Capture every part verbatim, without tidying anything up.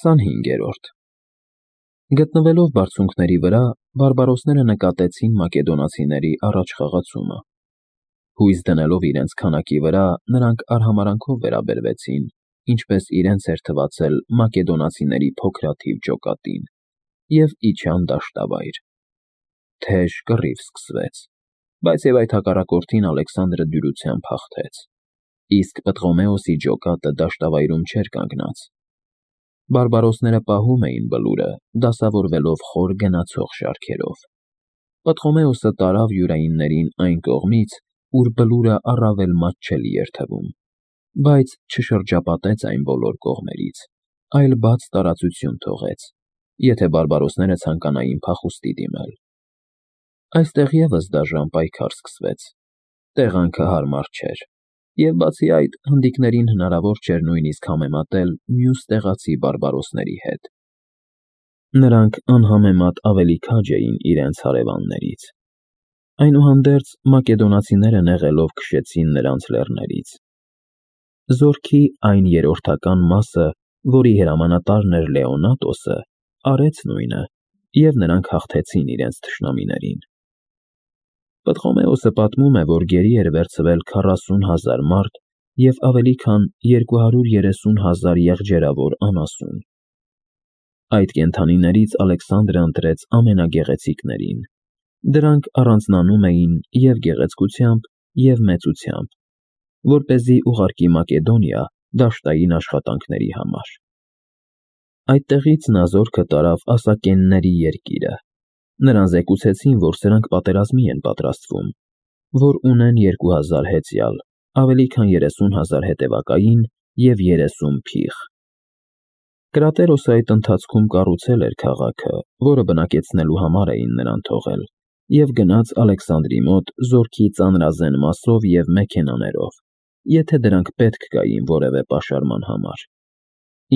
քսանհինգերորդ Գտնվելով բարձունքների վրա, բարբարոսները նկատեցին մակեդոնացիների առաջխաղացումը։ Հույս դնելով իրենց քանակի վրա, նրանք արհամարհանքով վերաբերվեցին, ինչպես իրենց էր թվացել մակեդոնացիների փոքրաթիվ ջոկատին, և իջան դաշտավայր։ Թեժ կռիվ սկսվեց, բայց և այդ հակառակորդին Ալեքսանդրը դյուրությամբ հաղթեց, իսկ Պտղոմեոսի ջոկատը դաշտավայրում չէր կանգնած։ Բարբարոսները պահում էին Բլուրը, դասավորվելով խոր գնացող շարքերով։ Պտղոմեոսը տարավ յուրայիններին այն կողմից, ուր Բլուրը առավել մատչելի էր թվում, բայց չշրջապատեց այն բոլոր կողմերից, այլ բաց տարածություն թողեց, եթե բարբարոսները ցանկանային փախուստի դիմել։ Այստեղ ևս դաժան պայքար սկսվեց։ Տեղանքը հարմար չէր, և բացի այդ, հնդիկներին հնարավոր չէր նույնիսկ համեմատել մյուս տեղացի բարբարոսների հետ։ Նրանք անհամեմատ ավելի քաջ էին իրենց հարևաններից։ Այնուհանդերձ, մակեդոնացիները նեղելով քշեցին նրանց լեռներից։ Զորքի այն երրորդական մասը, որի հրամանատարն էր Լեոնատոսը, արեց նույնը, և նրանք հաղթեցին իրենց թշնամիներին։ Պտղոմեոսը պատմում է, որ գերի էր վերցվել քառասուն հազար մարդ և ավելի քան երկու հարյուր երեսուն հազար եղջերավոր անասուն։ Այդ կենդանիներից Ալեքսանդրը ընտրեց ամենագեղեցիկներին։ Դրանք առանձնանում էին և գեղեցկությամբ, և մեծությամբ, որպեսզի ուղարկի Մակեդոնիա դաշտային աշխատանքների համար։ Այդտեղից նա զորքը տարավ Ասակենների երկիրը։ Նրան զեկուցեցին, որ սրանք պատերազմի են պատրաստվում, որ ունեն երկու հազար հեծյալ, ավելի քան երեսուն հազար հետևակային և երեսուն փիղ։ Կրատերոսը այդ ընթացքում կառուցել էր քաղաքը, որը բնակեցնելու համար էին նրան թողել, և գնաց Ալեքսանդրի մոտ զորքի ծանրազեն մասով և մեքենաներով, եթե դրանք պետք գային որևէ պաշարման համար։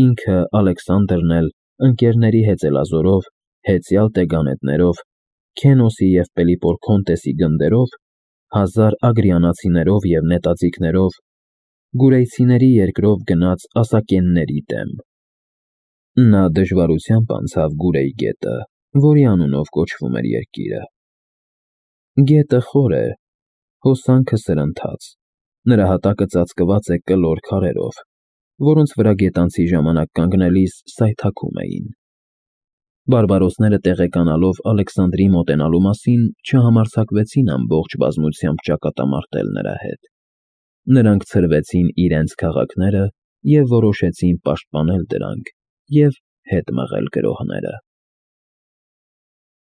Ինքը Ալեքսանդրն էլ ընկերների հեծելազորով, հեծյալ տեգանետներով, Քենոսի և Պելիպորքոնտեսի գնդերով, հազար ագրիանացիներով և նետաձիգներով, գուրեյցիների երկրով գնաց Ասակենների դեմ։ Նա դժվարությամբ անցավ Գուրեի գետը, որի անունով կոչվում էր երկիրը։ Գետը խոր է, հոսանքը սրընթաց, նրա հատակը ծածկված է կլոր քարերով, որոնց վրա գետանցի ժամանակ կանգնելիս սայթաքում էին։ Բարբարոսները տեղեկանալով Ալեքսանդրի մոտենալու մասին, չհամարձակվեցին ամբողջ բազմությամբ ճակատամարտել նրա հետ։ Նրանք ցրվեցին իրենց քաղաքները և որոշեցին պաշտպանել դրանք և հետ մղել գրոհները։